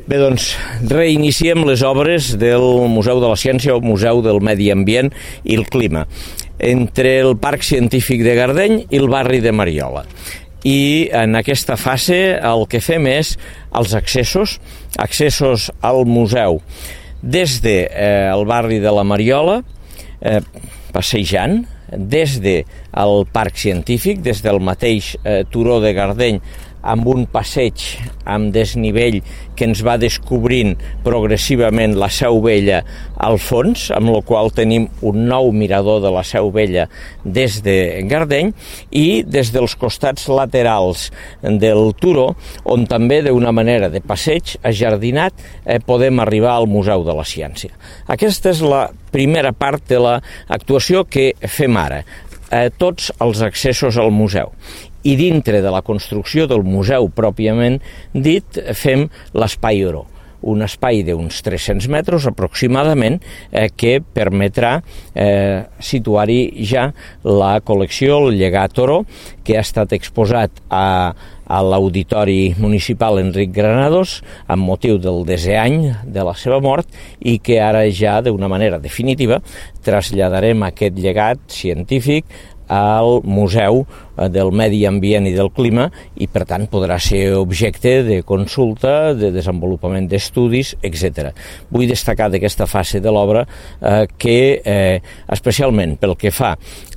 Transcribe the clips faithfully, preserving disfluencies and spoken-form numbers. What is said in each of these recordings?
Bé, doncs, reiniciem les obres del Museu de la Ciència o Museu del Medi Ambient i el Clima, entre el Parc Científic de Gardeny i el barri de Mariola. I en aquesta fase el que fem és els accessos, accessos al museu des del eh, barri de la Mariola, eh, passejant, des del Parc Científic, des del mateix eh, turó de Gardeny, amb un passeig amb desnivell que ens va descobrint progressivament la Seu Vella al fons, amb la qual tenim un nou mirador de la Seu Vella des de Gardeny, i des dels costats laterals del turó, on també d'una manera de passeig ajardinat eh, podem arribar al Museu de la Ciència. Aquesta és la primera part de l'actuació que fem ara, eh, tots els accessos al museu. I dintre de la construcció del museu pròpiament dit fem l'Espai Oró, un espai d'uns tres-cents metres aproximadament eh, que permetrà eh, situar-hi ja la col·lecció, el llegat Oró, que ha estat exposat a, a l'Auditori Municipal Enric Granados amb motiu del desè any de la seva mort i que ara ja d'una manera definitiva traslladarem aquest llegat científic al Museu del Medi Ambient i del Clima i, per tant, podrà ser objecte de consulta, de desenvolupament d'estudis, etcètera. Vull destacar d'aquesta fase de l'obra eh, que, eh, especialment pel que fa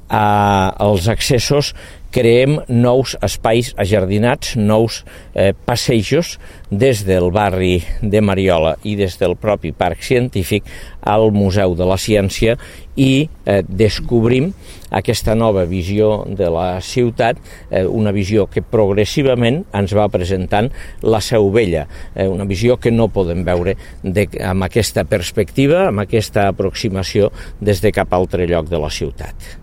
als accessos, creem nous espais ajardinats, nous eh, passejos des del barri de Mariola i des del propi Parc Científic al Museu de la Ciència i eh, descobrim aquesta nova visió de la ciutat, eh, una visió que progressivament ens va presentant la Seu Vella, eh, una visió que no podem veure de, amb aquesta perspectiva, amb aquesta aproximació des de cap altre lloc de la ciutat.